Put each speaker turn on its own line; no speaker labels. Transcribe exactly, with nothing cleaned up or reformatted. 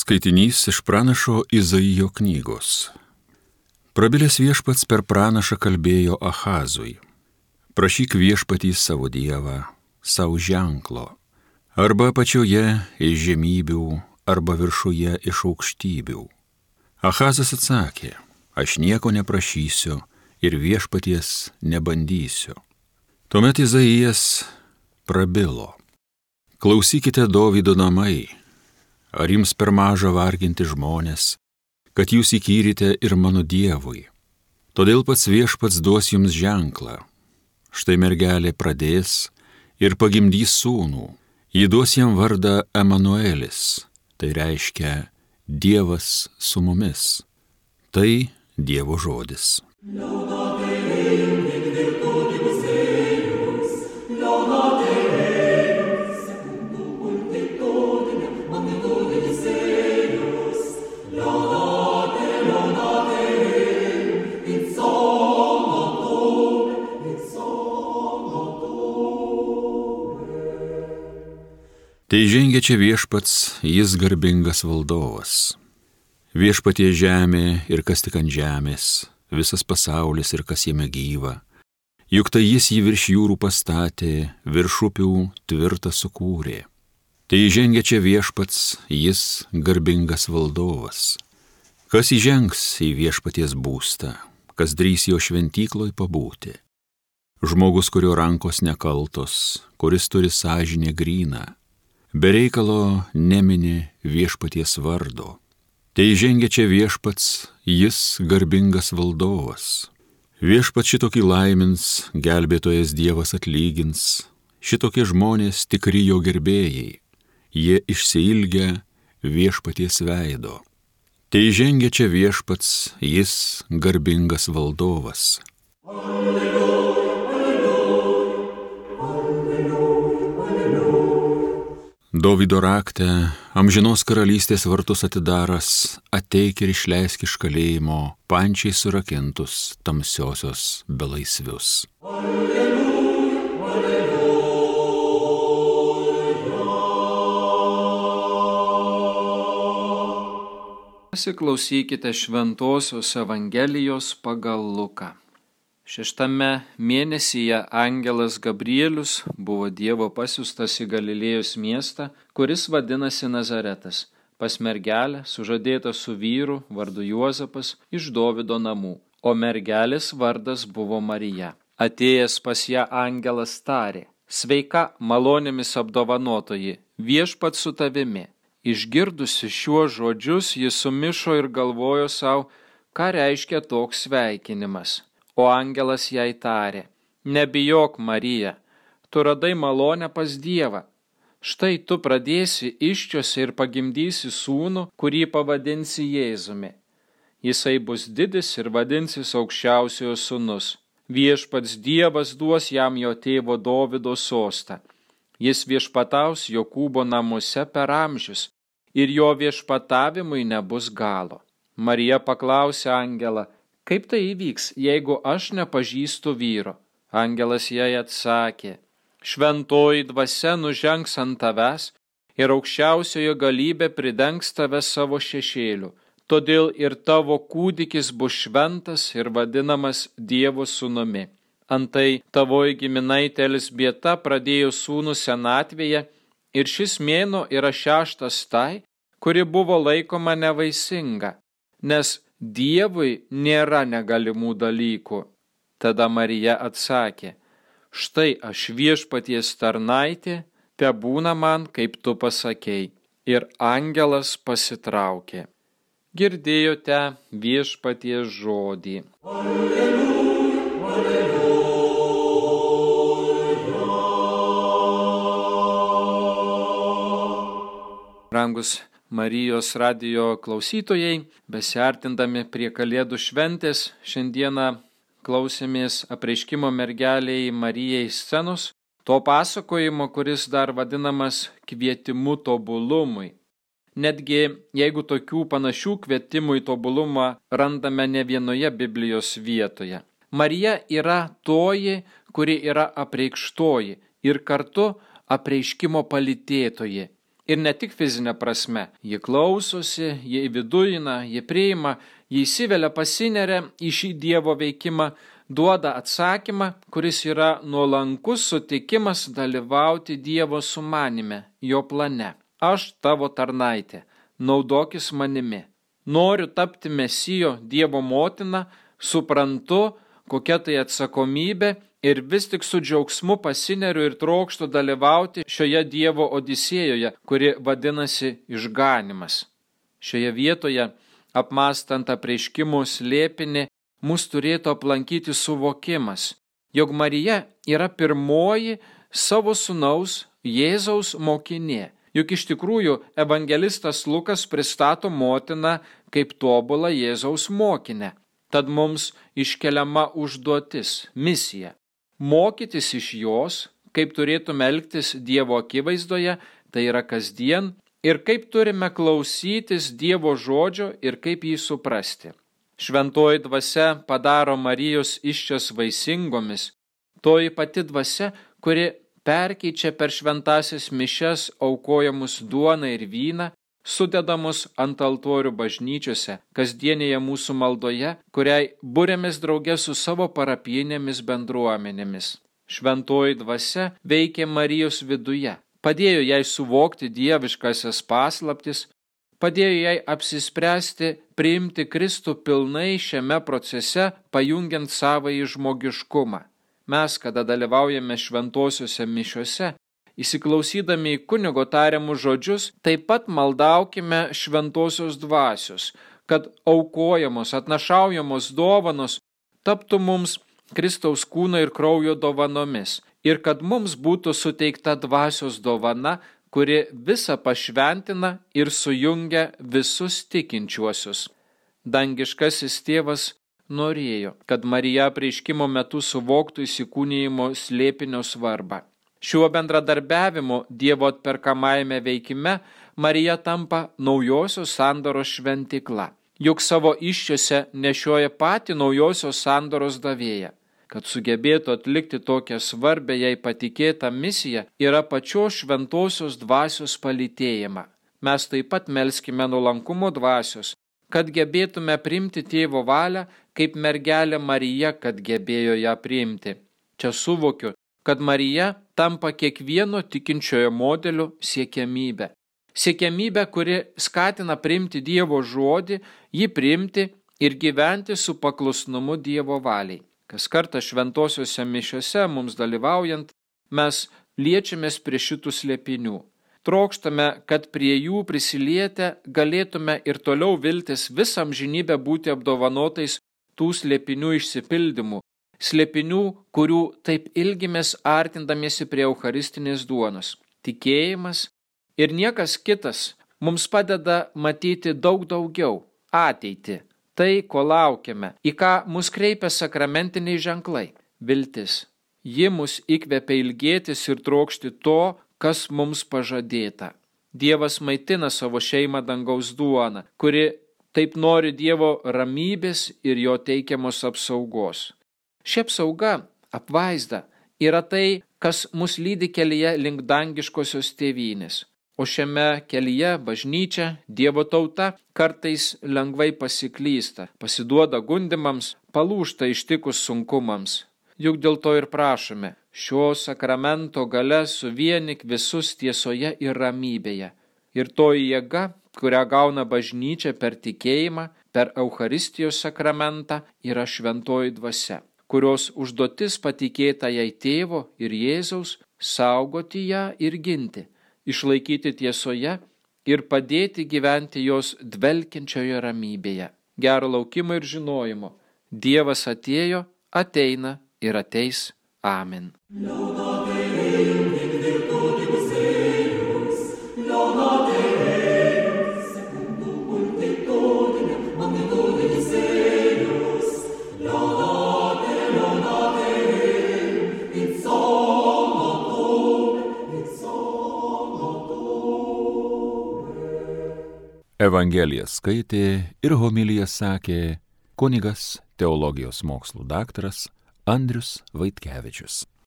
Skaitinys iš pranašo Izaijo knygos. Prabilęs viešpats per pranašą kalbėjo Ahazui. Prašyk viešpatį savo dievą, savo ženklo, arba apačioje iš žemybių, arba viršuje iš aukštybių. Ahazas atsakė, aš nieko neprašysiu ir viešpaties nebandysiu. Tuomet Izaijas prabilo. Klausykite, Dovydo namai, ar jums per maža varginti žmonės, kad jūs įkyrite ir mano dievui. Todėl pats viešpats duos jums ženklą. Štai mergelė pradės ir pagimdys sūnų. Ji duos jam vardą Emanuelis, tai reiškia Dievas su mumis. Tai Dievo žodis. Tai žengia čia viešpats, jis garbingas valdovas. Viešpatie žemė ir kas tik ant žemės, visas pasaulis ir kas jame gyva. Juk tai jis jį virš jūrų pastatė, virš upių tvirtą sukūrė. Tai žengia čia viešpats, jis garbingas valdovas. Kas įžengs į viešpaties būstą, kas drįs jo šventykloj pabūti. Žmogus, kurio rankos nekaltos, kuris turi sąžinę gryną, be reikalo nemini viešpaties vardo. Tai žengia čia viešpats, jis garbingas valdovas. Viešpats šitokį laimins, gelbėtojas Dievas atlygins, šitokie žmonės tikri jo gerbėjai, jie išsiilgia viešpaties veido. Tai žengia čia viešpats, jis garbingas valdovas. Dovydo rakte, amžinos karalystės vartus atidaras, ateik ir išleisk iš kalėjimo pančiai surakintus tamsiosios belaisvius. Alleluja, alleluja.
Pasiklausykite Šventosios Evangelijos pagal Luką. Šeštame mėnesyje angelas Gabrielius buvo Dievo pasiųstas į Galilėjos miestą, kuris vadinasi Nazaretas, pas mergelę sužadėtą su vyru vardu Juozapas iš Dovydo namų, o mergelės vardas buvo Marija. Atėjęs pas ją angelas tarė, sveika, malonėmis apdovanotoji, viešpats su tavimi. Išgirdusi šiuos žodžius, ji sumišo ir galvojo savo, ką reiškia toks sveikinimas. O angelas jai tarė, nebijok, Marija, tu radai malonę pas Dievą. Štai tu pradėsi įsčiose ir pagimdysi sūnų, kurį pavadinsi Jėzumi. Jisai bus didis ir vadinsis aukščiausiojo sūnus. Viešpats Dievas duos jam jo tėvo Dovydo sostą. Jis viešpataus Jokūbo namuose per amžius ir jo viešpatavimui nebus galo. Marija paklausė angelą, kaip tai įvyks, jeigu aš nepažįstu vyro? Angelas jai atsakė, šventoji dvasia nužengs ant tavęs ir aukščiausiojo galybė pridengs tave savo šešėliu. Todėl ir tavo kūdikis bus šventas ir vadinamas Dievo sūnumi. Antai tavoji giminaitė Elzbieta pradėjo sūnų senatvėje ir šis mėnuo yra šeštas tai, kuri buvo laikoma nevaisinga, nes Dievui nėra negalimų dalykų. Tada Marija atsakė, štai aš viešpaties tarnaitė, tebūna man, kaip tu pasakei. Ir angelas pasitraukė. Girdėjote viešpaties žodį. Alleluja, alleluja. Brangus Marijos radijo klausytojai, besiartindami prie Kalėdų šventės, šiandieną klausėmės apreiškimo mergelei Marijai scenos, to pasakojimo, kuris dar vadinamas kvietimu tobulumui. Netgi jeigu tokių panašių kvietimų į tobulumą randame ne vienoje Biblijos vietoje. Marija yra toji, kuri yra apreikštoji ir kartu apreiškimo palytėtoji. Ir ne tik fizinė prasme. Ji klausosi, ji vidujina, ji priima, ji įsivelia, pasineria į šį Dievo veikimą, duoda atsakymą, kuris yra nuolankus sutikimas dalyvauti Dievo sumanime, jo plane. Aš tavo tarnaitė, naudokis manimi. Noriu tapti Mesijo, Dievo motina, suprantu, kokia tai atsakomybė ir vis tik su džiaugsmu pasineriu ir trokštu dalyvauti šioje Dievo odisėjoje, kuri vadinasi išganimas. Šioje vietoje, apmąstant apreiškimų slėpinį, mus turėtų aplankyti suvokimas, jog Marija yra pirmoji savo sūnaus Jėzaus mokinė. Juk iš tikrųjų evangelistas Lukas pristato motiną kaip tobulą Jėzaus mokinę. Tad mums iškeliama užduotis, misija. Mokytis iš jos, kaip turėtume elgtis Dievo akivaizdoje, tai yra kasdien, ir kaip turime klausytis Dievo žodžio ir kaip jį suprasti. Šventoji dvasia padaro Marijos įsčias vaisingomis, toji pati dvasia, kuri perkeičia per šventąsias mišias aukojamus duoną ir vyną, sudedamus ant altorių bažnyčiose, kasdienėje mūsų maldoje, kuriai būrėmės drauge su savo parapijinėmis bendruomenėmis. Šventoji dvasia veikė Marijos viduje, padėjo jai suvokti dieviškasias paslaptis, padėjo jai apsispręsti priimti Kristų pilnai šiame procese, pajungiant savąjį žmogiškumą. Mes, kada dalyvaujame šventosiuose mišiuose, įsiklausydami į kunigo tariamus žodžius, taip pat maldaukime šventosios dvasios, kad aukojamos, atnašaujamos dovanos taptų mums Kristaus kūno ir kraujo dovanomis ir kad mums būtų suteikta dvasios dovana, kuri visą pašventina ir sujungia visus tikinčiuosius. Dangiškasis tėvas norėjo, kad Marija apreiškimo metu suvoktų įsikūnijimo slėpinio svarbą. Šiuo bendradarbiavimu Dievo atperkamajame veikime Marija tampa naujosios sandoros šventikla. Juk savo įsčiose nešioja patį naujosios sandoros davėją. Kad sugebėtų atlikti tokią svarbę jai patikėtą misiją, yra pačios šventosios dvasios palytėjimą. Mes taip pat melskime nuolankumo dvasios, kad gebėtume priimti tėvo valią, kaip mergelė Marija, kad gebėjo ją priimti. Čia suvokiu, kad Marija tampa kiekvieno tikinčiojo modeliu siekiamybė. Siekiamybė, kuri skatina priimti Dievo žodį, jį priimti ir gyventi su paklusnumu Dievo valiai. Kas kartą šventosiuose mišiuose mums dalyvaujant, mes liečiamės prie šitų slėpinių. Trokštame, kad prie jų prisilietę galėtume ir toliau viltis visą amžinybę būti apdovanotais tų slėpinių išsipildymų, slėpinių, kurių taip ilgimės artindamiesi prie eucharistinės duonos. Tikėjimas ir niekas kitas mums padeda matyti daug daugiau, ateitį, tai, ko laukiame, į ką mus kreipia sakramentiniai ženklai, viltis. Ji mus įkvepia ilgėtis ir trokšti to, kas mums pažadėta. Dievas maitina savo šeimą dangaus duoną, kuri taip nori Dievo ramybės ir jo teikiamos apsaugos. Ši apsauga, apvaizda, yra tai, kas mus lydi kelyje link dangiškosios tėvynės. O šiame kelyje bažnyčia, Dievo tauta kartais lengvai pasiklysta, pasiduoda gundimams, palūžta ištikus sunkumams. Juk dėl to ir prašome, šio sakramento gale suvienik visus tiesoje ir ramybėje. Ir toji jėga, kurią gauna bažnyčia per tikėjimą, per Eucharistijos sakramentą, yra šventoji dvasia, kurios užduotis patikėta jai tėvo ir Jėzaus saugoti ją ir ginti, išlaikyti tiesoje ir padėti gyventi jos dvelkiančioje ramybėje. Gero laukimo ir žinojimo. Dievas atėjo, ateina ir ateis. Amen.
Evangeliją skaitė ir homiliją sakė kunigas teologijos mokslų daktaras Andrius Vaitkevičius.